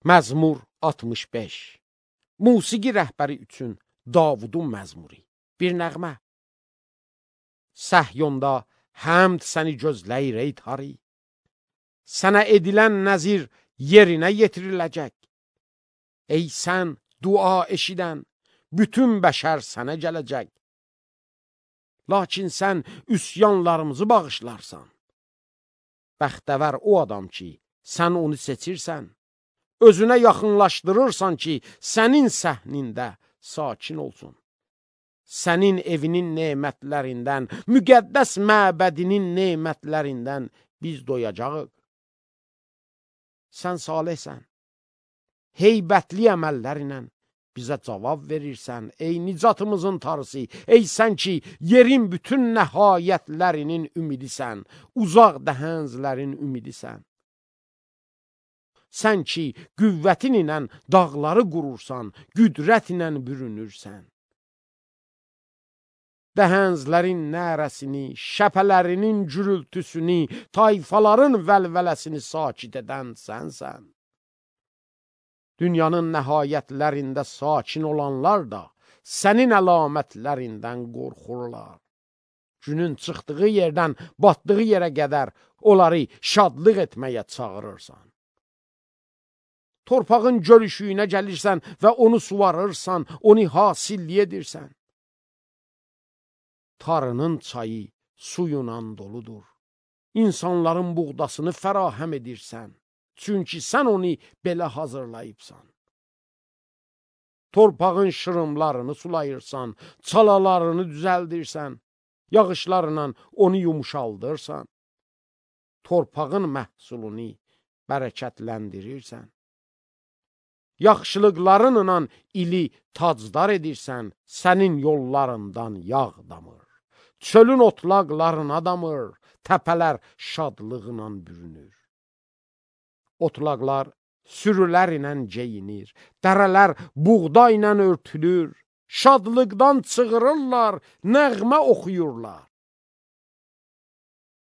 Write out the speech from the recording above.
Məzmur 65. Musiqi rəhbəri üçün Davudun məzmuri. Bir nəğmə. Səhyonda həmd səni gözləyir ey tari. Sənə edilən nəzir yerinə yetiriləcək. Ey sən dua eşidən, bütün bəşər sənə gələcək. Lakin sən üsyanlarımızı bağışlarsan. Bəxtəvər o adam ki, sən onu seçirsən. Özünə yaxınlaşdırırsan ki, sənin səhnində sakin olsun. Sənin evinin nemətlərindən, müqəddəs məbədinin nemətlərindən biz doyacağıq. Sən salihsən, heybətli əməllərinlə bizə cavab verirsən, ey nicatımızın tarısı, ey sən ki, yerin bütün nəhayətlərinin ümidisən, uzaq dəhənzlərin ümidisən. Sən ki, qüvvətin ilə dağları qurursan, qüdrət ilə bürünürsən. Dəhənzlərin nərəsini, şəpələrinin gürültüsünü, tayfaların vəlvələsini sakit edən sənsən. Dünyanın nəhayətlərində sakin olanlar da sənin əlamətlərindən qorxurlar. Günün çıxdığı yerdən batdığı yerə qədər onları şadlıq etməyə çağırırsan. Torpağın gölüşüyünə gəlirsən və onu suvarırsan, onu hasilli edirsən. Tarının çayı suyla doludur. İnsanların buğdasını fərahəm edirsən. Çünki sən onu belə hazırlayıbsan. Torpağın şırımlarını sulayırsan, çalalarını düzəldirsən, yağışlarla onu yumuşaldırsan. Torpağın məhsulunu bərəkətləndirirsən. Yaxşılıqlarınla ili tacdar edirsən, sənin yollarından yağ damır. Çölün otlaqlarına damır, təpələr şadlığına bürünür. Otlaqlar sürülər ilə geyinir, dərələr buğda ilə örtülür, şadlıqdan çığırırlar, nəğmə oxuyurlar.